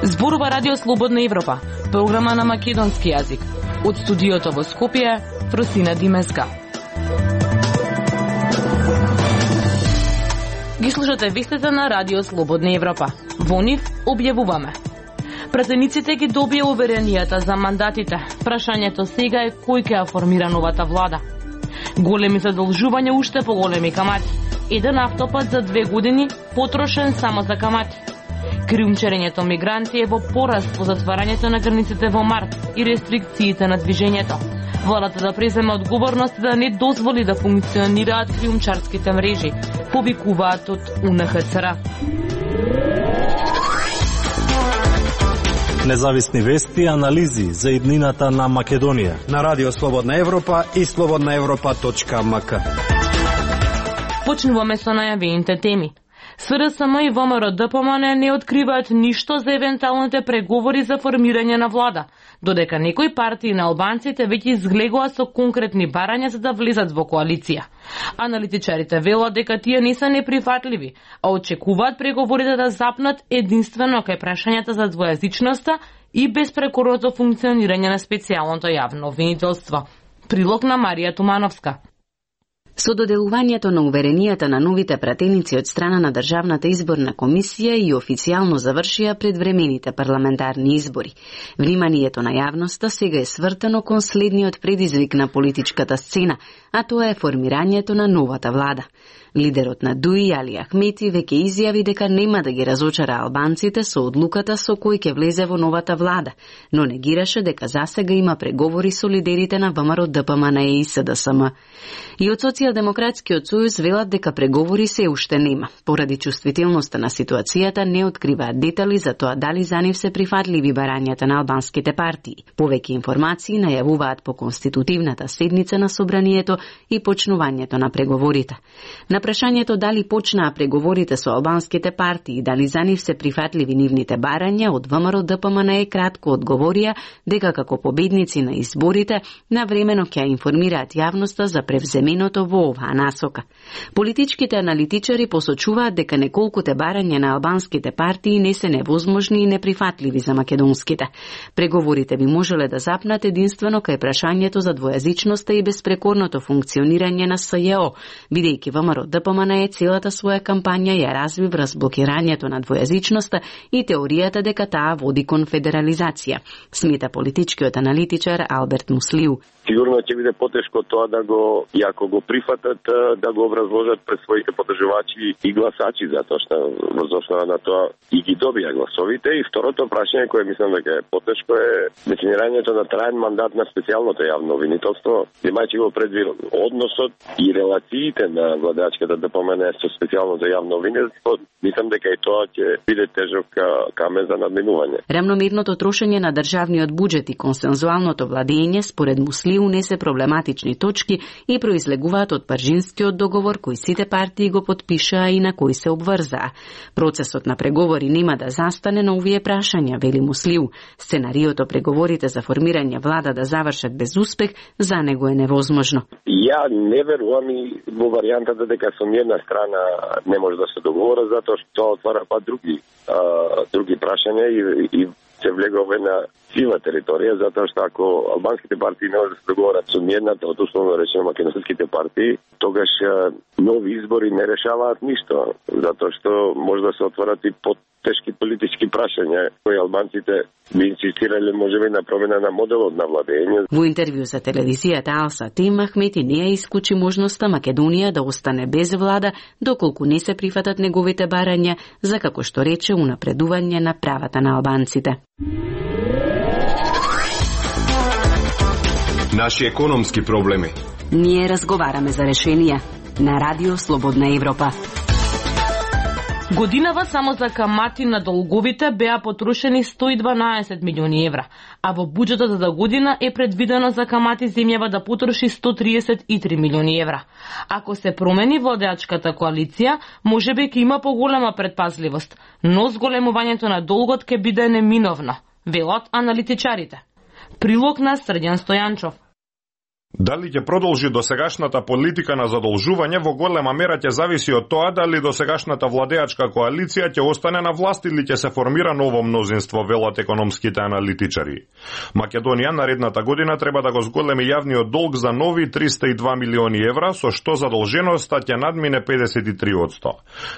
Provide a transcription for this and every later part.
Зборува Радио Слободна Европа, програма на македонски јазик. Од студиото во Скопје, Фросина Димеска. Ги слушате вестите на Радио Слободна Европа. Во нив објавуваме: пратениците ги добија уверенијата за мандатите. Прашањето сега е кој ќе ја формира новата влада. Големи задолжувања, уште поголеми камати. Еден автопат за 2 години потрошен само за камати. Криумчарењето мигранти е во пораст по затварањето на границите во март и рестрикциите на движењето. Владата да преземе одговорност да не дозволи да функционираат криумчарските мрежи, повикуваат од УНХЦР. Независни вести и анализи за иднината на Македонија на Радио Слободна Европа и slobodnaevropa.mk. Почнуваме со најавените теми. СРСМ и ВМРО-ДПМН не откриваат ништо за евентуалните преговори за формирање на влада, додека некои партии на албанците веќе изглегува со конкретни барања за да влезат во коалиција. Аналитичарите велат дека тие не се неприфатливи, а очекуваат преговорите да запнат единствено кај прашањата за двојазичноста и безпрекорното функционирање на специјалното јавно обвинителство. Прилог на Марија Тумановска. Со доделувањето на уверенијата на новите пратеници од страна на Државната изборна комисија и официјално завршија предвремените парламентарни избори. Вниманието на јавноста сега е свртено кон следниот предизвик на политичката сцена, а тоа е формирањето на новата влада. Лидерот на ДУИ, Али Ахмети, веќе изјави дека нема да ги разочара албанците со одлуката со кој ќе влезе во новата влада, но негираше дека засега има преговори со лидерите на ВМРО-ДПМН и СДСМ. И од Социјалдемократскиот сојуз велат дека преговори се уште нема. Поради чувствителноста на ситуацијата не откриваат детали за тоа дали за нив се прифатливи барањата на албанските партии. Повеќе информации најавуваат по конститутивната седница на собранието и почнувањето на преговорите. На прашањето дали почнаа преговорите со албанските партии и дали за нив се прифатливи нивните барања, од ВМРО-ДПМН кратко одговорија дека како победници на изборите навремено ќе информираат јавноста за превземеното во оваа насока. Политичките аналитичари посочуваат дека неколкуте барања на албанските партии не се невозможни и неприфатливи за македонските. Преговорите би можеле да запнат единствено кај прашањето за двојазичноста и безпрекорното функционирање на СЈО, бидејќи ВМРО-ДПМН целата своја кампања ја разви врз блокирањето на двојазичноста и теоријата дека таа води кон федерализација, смета политичкиот аналитичар Алберт Муслиу. Сигурно ќе биде потешко тоа да го, ако го прифатат, да го образложат пред своите поддржувачи и гласачи, затоа што во основа на тоа и ги добија гласовите. И второто прашање кое мислам дека е потешко е дефинирањето на траен мандат на специјалното јавно обвинителство, имајќи го предвид односот и релациите на владеачката ДПМН со специјалното јавно обвинителство. Мислам дека и тоа ќе биде тежок камен за надминување. Рамномерното трошење на државниот буџет и консензуалното владење според Муслиу не се проблематични точки и произлегуваат од Паржинскиот договор кој сите партии го потпишаа и на кој се обврзаа. Процесот на преговори нема да застане на овие прашања, вели Муслиу. Сценариото преговорите за формирање влада да завршат без успех за него е невозможно. Ја не верувам и во варијантата дека со една страна не може да се договора, затоа што тоа отвара други прашања и се влегува во една сива територија, затоа што ако албанските партии не може да се договорат со едната од условно речено македонските партии, тогаш нови избори не решаваат ништо, затоа што може да се отворат и тешки политички прашања кои албанците би инсистирале можеби на промена на моделот на владење. Во интервју за телевизијата Алса Тим, Ахмети не ја исклучи можноста Македонија да остане без влада доколку не се прифатат неговите барања за, како што рече, унапредување на правата на албанците. Наши економски проблеми. Ние разговараме за решенија на Радио Слободна Европа. Годинава само за камати на долговите беа потрошени 112 милиони евра, а во буџетот за година е предвидено за камати земјава да потроши 133 милиони евра. Ако се промени владеачката коалиција, можеби ќе има поголема предпазливост, но зголемувањето на долгот ќе биде неминовно, велат аналитичарите. Прилог на Срđan Стојанчов. Дали ќе продолжи досегашната политика на задолжување во голема мера ќе зависи од тоа дали досегашната владеачка коалиција ќе остане на власт или ќе се формира ново мнозинство, велат економските аналитичари. Македонија наредната година треба да го зголеми јавниот долг за нови 302 милиони евра, со што задолженоста ќе надмине 53%.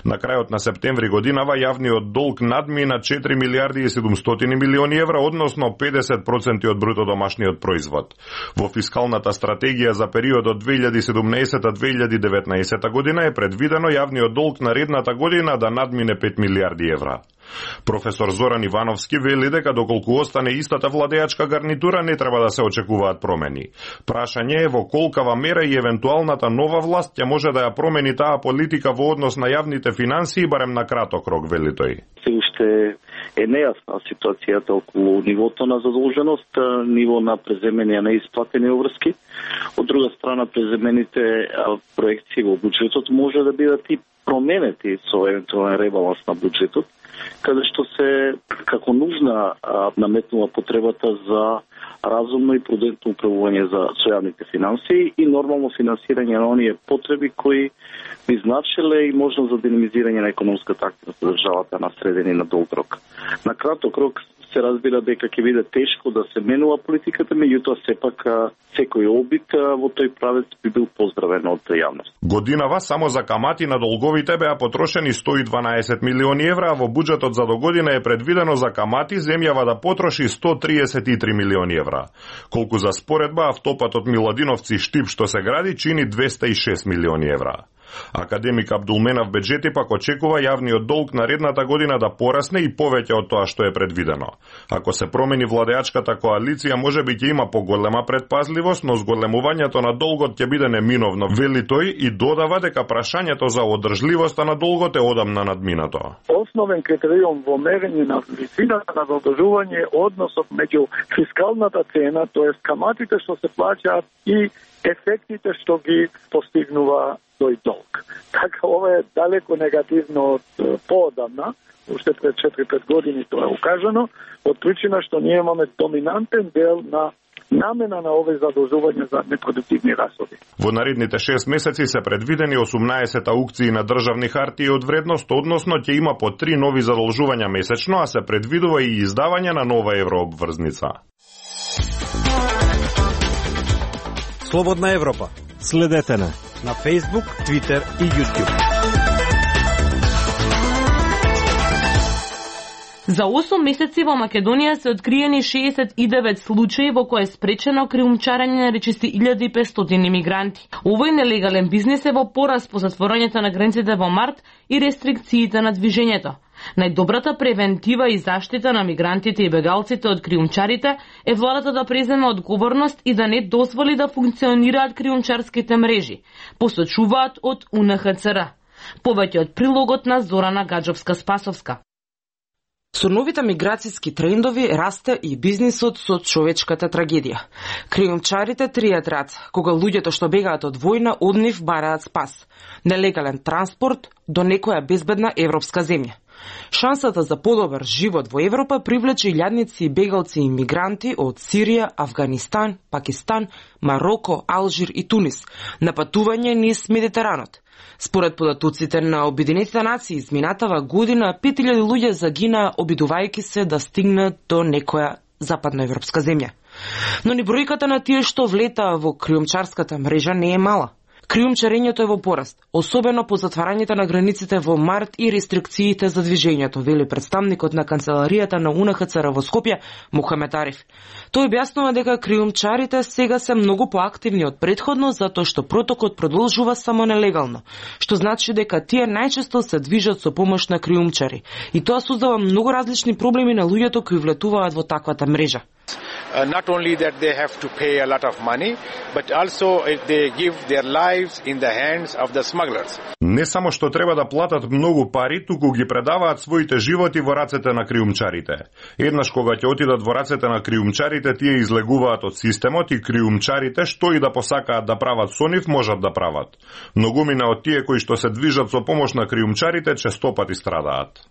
На крајот на септември годинава јавниот долг надмина 4 милиарди и 700 милиони евра, односно 50% од бруто домашниот производ. Во фискалната стратегија за периодот 2017-2019 година е предвидено јавниот долг наредната година да надмине 5 милиарди евра. Професор Зоран Ивановски вели дека доколку остане истата владеачка гарнитура не треба да се очекуваат промени. Прашање е во колкава мера и евентуалната нова власт ќе може да ја промени таа политика во однос на јавните финансии барем на краток рок, вели тој. Се уште е нејасна ситуацијата околу нивото на задолженост, ниво на преземени на исплатени обврски. Од друга страна, преземените проекции во буџетот може да бидат и променети со евентуален ребаланс на буџетот, каде што се како нужна наметнува потребата за разумно и прудентно управување за јавните финансии и нормално финансирање на оние потреби кои би значиле и можност за динамизирање на економската активност на државата на среден и на долг рок. На краток рок се разбира дека ќе биде тешко да се менува политиката, меѓутоа сепак секој обид во тој правец би бил поздравен од јавност. Годинава само за камати на долговите беа потрошени 112 милиони евра, а во буџетот за догодина е предвидено за камати земјава да потроши 133 милиони евра. Колку за споредба, автопатот Миладиновци Штип што се гради чини 206 милиони евра. Академик Абдулменав Беџети пак очекува јавниот долг наредната година да порасне и повеќе од тоа што е предвидено. Ако се промени владеачката коалиција, можеби ќе има поголема предпазливост, но зголемувањето на долгот ќе биде неминовно, вели тој и додава дека прашањето за одржливоста на долгот е одамна надминато. Основен критериум во мерење на висината на задолжување е односот меѓу фискалната цена, тоест каматите што се плаќаат и ефектите што ги постигнува тој долг. Така, ова е далеко негативно од поодамна, уште пред 4-5 години тоа е укажано, од причина што ние имаме доминантен дел на намена на овие задолжувања за непродуктивни расходи. Во наредните 6 месеци се предвидени 18 аукции на државни хартии од вредност, односно ќе има по 3 нови задолжувања месечно, а се предвидува и издавање на нова еврообврзница. Слободна Европа. Следете на Facebook, Twitter и YouTube. За 8 месеци во Македонија се откриени 69 случаи во кои е спречено криумчарење на речиси 1500 имигранти. Овој нелегален бизнес е во пораст по затворањето на границите во март и рестрикциите на движењето. Најдобрата превентива и заштита на мигрантите и бегалците од криумчарите е владата да преземе одговорност и да не дозволи да функционираат криумчарските мрежи, посочуваат од УНХЦР. Повеќе од прилогот на Зорана Гаджовска-Спасовска. Со новите миграцијски трендови расте и бизнисот со човечката трагедија. Криумчарите тријат рад, кога луѓето што бегаат од војна од нив бараат спас. Нелегален транспорт до некоја безбедна европска земја. Шансата за подобар живот во Европа привлече илјадници и бегалци и мигранти од Сирија, Авганистан, Пакистан, Мароко, Алжир и Тунис на патување низ Медитеранот. Според податоците на Обединетите нации, изминатава година 5000 луѓе загинаа обидувајќи се да стигнат до некоја западноевропска земја. Но ни бројката на тие што влетаа во криумчарската мрежа не е мала. Криумчарењето е во пораст, особено по затварањето на границите во март и рестрикциите за движењето, вели представникот на канцеларијата на УНХЦР во Скопје, Мухамед Ариф. Тој објаснува дека криумчарите сега се многу поактивни од претходно, затоа што протокот продолжува само нелегално, што значи дека тие најчесто се движат со помош на криумчари. И тоа создава многу различни проблеми на луѓето кои влетуваат во таквата мрежа. Not only that they have to pay a lot of money, but also they give their lives in the hands of the smugglers. Не само што треба да платат многу пари, туку ги предаваат своите животи во рацете на криумчарите. Еднаш кога ќе отидат во рацете на криумчарите, тие излегуваат од системот и криумчарите што и да посакаат да прават со нив, можат да прават. Многумина од тие кои што се движат со помош на криумчарите честопати страдаат.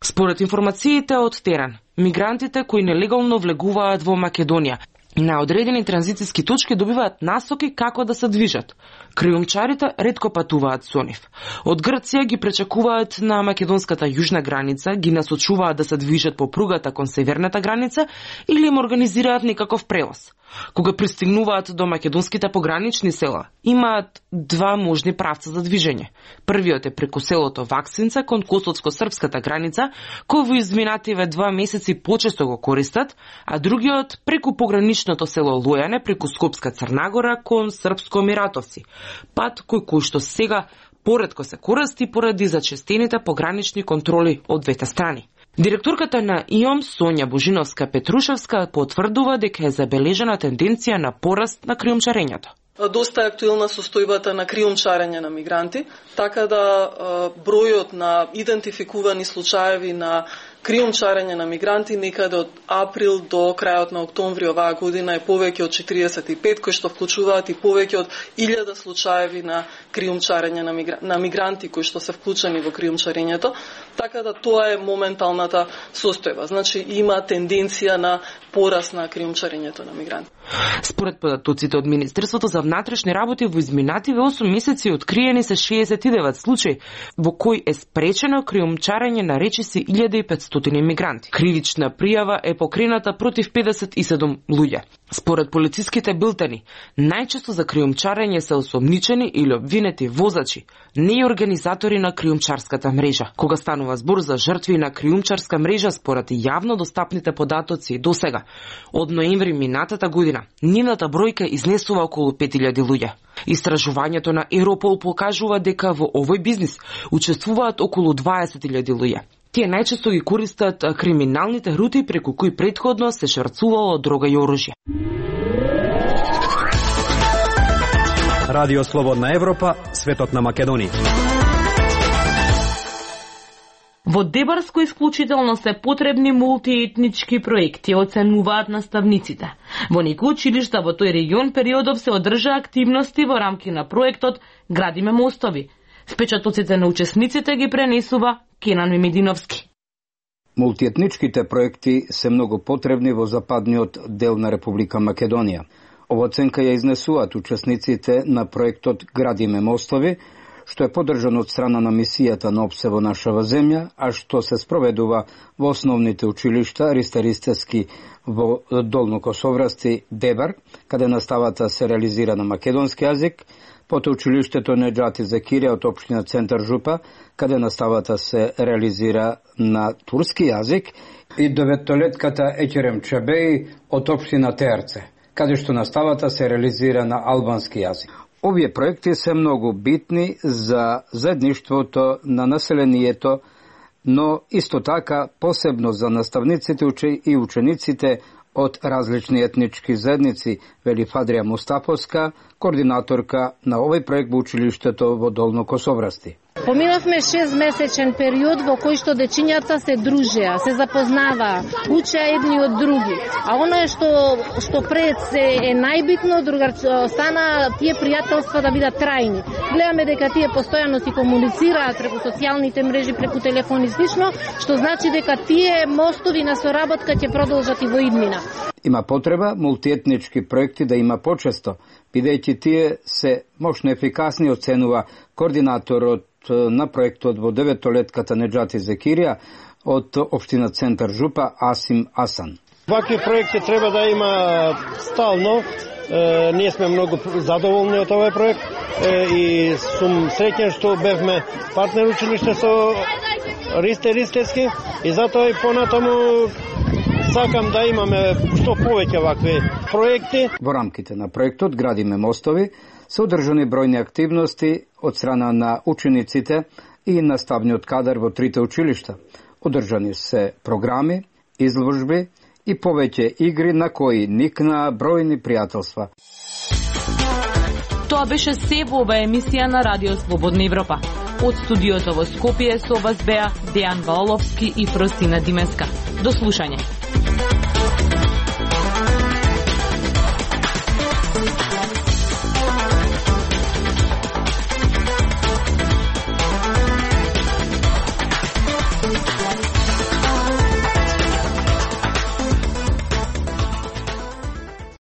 Според информациите од терен, мигрантите кои нелегално влегуваат во Македонија На одредени транзициски точки добиваат насоки како да се движат. Криумчарите ретко патуваат со нив. Од Грција ги пречекуваат на македонската јужна граница, ги насочуваат да се движат по пругата кон северната граница или им организираат некаков превоз. Кога пристигнуваат до македонските погранични села, имаат два можни правца за движење. Првиот е преку селото Ваксинца кон косовско-српската граница, кој во изминативе 2 месеци почесто го користат, а другиот преку пограничното село Лојане преку Скопска Црнагора кон Српско Миратовци. Пат кој што сега поретко се користи поради зачестените погранични контроли од двете страни. Директорката на ИОМ Сонја Божиновска-Петрушевска потврдува дека е забележена тенденција на пораст на криумчарењето. Доста е актуелна состојбата на криумчарење на мигранти, така да бројот на идентификувани случаеви на криумчарење на мигранти некаде од април до крајот на октомври оваа година е повеќе од 45, кои што вклучуваат и повеќе од 1000 случаеви на криумчарење на мигранти кои што се вклучени во криумчарењето, така да тоа е моменталната состојба. Значи има тенденција на пораст на криумчарењето на мигранти. Според податоците од Министерството за внатрешни работи во изминативе 8 месеци откриени се 69 случаи во кои е спречено криумчарење на речиси 1500 мигранти. Кривична пријава е покрената против 57 луѓе. Според полициските билтени, најчесто за криумчарење се осомничени или обвинети возачи, не и организатори на криумчарската мрежа. Кога станува збор за жртви на криумчарска мрежа, според јавно достапните податоци досега, од ноември минатата година, нивната бројка изнесува околу 5000 луѓе. Истражувањето на Европол покажува дека во овој бизнис учествуваат околу 20.000 луѓе. Тие најчесто ги користат криминалните рути преку кои претходно се шврцувало дрога и оружје. Радио Слободна Европа, светот на Македонија. Во Дебарско исклучително се потребни мултиетнички проекти, оценуваат наставниците. Во некои училишта во тој регион периодов се одржа активности во рамки на проектот Градиме мостови. Впечатоците на учесниците ги пренесува Кенан Мемединовски. Мултиетничките проекти се многу потребни во западниот дел на Република Македонија. Ова оценка ја изнесуваат учесниците на проектот Градиме мостови, што е поддржан од страна на мисијата на ОПСЕ во нашава земја, а што се спроведува во основните училишта Ристе-Ристевски во Долно Косоврасти, Дебар, каде наставата се реализира на македонски јазик, потоа училиштето Неџати Закирија од општина Центар Жупа, каде наставата се реализира на турски јазик, и деветолетката Екерем Чебеј од општина Терце, каде што наставата се реализира на албански јазик. Овие проекти се многу битни за заедништвото на населението, но исто така посебно за наставниците и учениците од различни етнички заедници, вели Фадрија Мустафовска, координаторка на овој проект во училиштето во Долно Косоврасти. Поминавме 6-месечен период во кој што дечињата се дружеа, се запознаваа, учеа едни од други. А оно што пред е најбитно, стана тие пријателства да бидат трајни. Гледаме дека тие постојано си комуницираат преку социјалните мрежи, преку телефон и слично, што значи дека тие мостови на соработка ќе продолжат и во иднина. Има потреба мултиетнички проекти да има почесто, бидејќи тие се мощно ефикасни, оценува координаторот на проектот во деветолетката Неџати Закирија од општина Центар Жупа Асим Асан. Вакви проекти треба да има стално. Ние сме многу задоволни од овој проект и сум среќен што бевме партнер училиште со Ристе-Ристевски и затоа и понатаму сакам да имаме што повеќе вакви проекти. Во рамките на проектот Градиме мостови се одржани бројни активности од страна на учениците и наставниот кадар во трите училишта. Одржани се програми, изложби и повеќе игри на кои никнаа бројни пријателства. Тоа беше се во оваа емисија на Радио Слободна Европа. Од студиото во Скопје со вас беа Дејан Валовски и Фросина Димеска. До слушање.